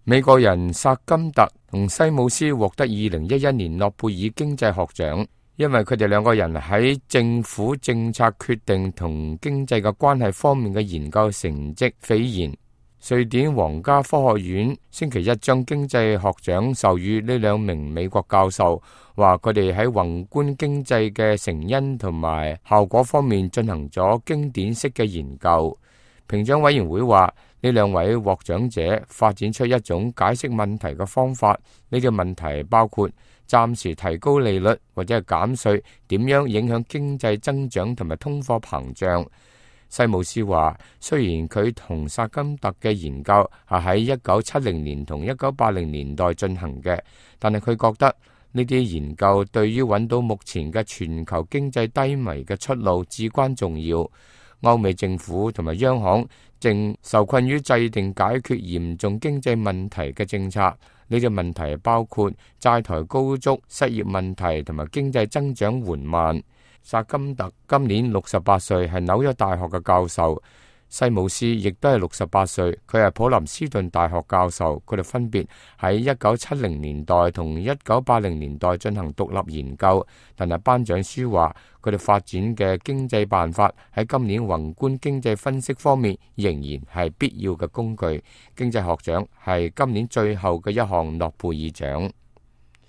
美國人薩金特同西姆斯獲得2011年諾貝爾經濟學獎，因為佢哋兩個人喺政府政策決定同經濟嘅關係方面嘅研究成績斐然。瑞典皇家科學院星期一將經濟學獎授予呢兩名美國教授，話佢哋喺宏觀經濟嘅成因同埋效果方面進行咗經典式嘅研究。評獎委員會話，呢兩位獲獎者發展出一種解釋問題嘅方法。呢個問題包括暫時提高利率或者係減稅點樣影響經濟增長同埋通貨膨脹。西姆斯話，雖然佢同薩金特嘅研究係喺1970年同1980年代進行嘅，但係佢覺得呢啲研究對於揾到目前嘅全球經濟低迷嘅出路至關重要。歐美政府同埋央行正受困於制定解決嚴重經濟問題嘅政策。呢啲問題包括債台高築、失業問題同埋經濟增長緩慢。薩金特今年68歲，係紐約大學嘅教授。西姆斯亦都係68歲，佢係普林斯頓大學教授。佢哋分別喺1970年代同1980年代進行獨立研究，但係頒獎書話佢哋發展嘅經濟辦法喺今年宏觀經濟分析方面仍然係必要嘅工具。經濟學獎係今年最後嘅一項諾貝爾獎。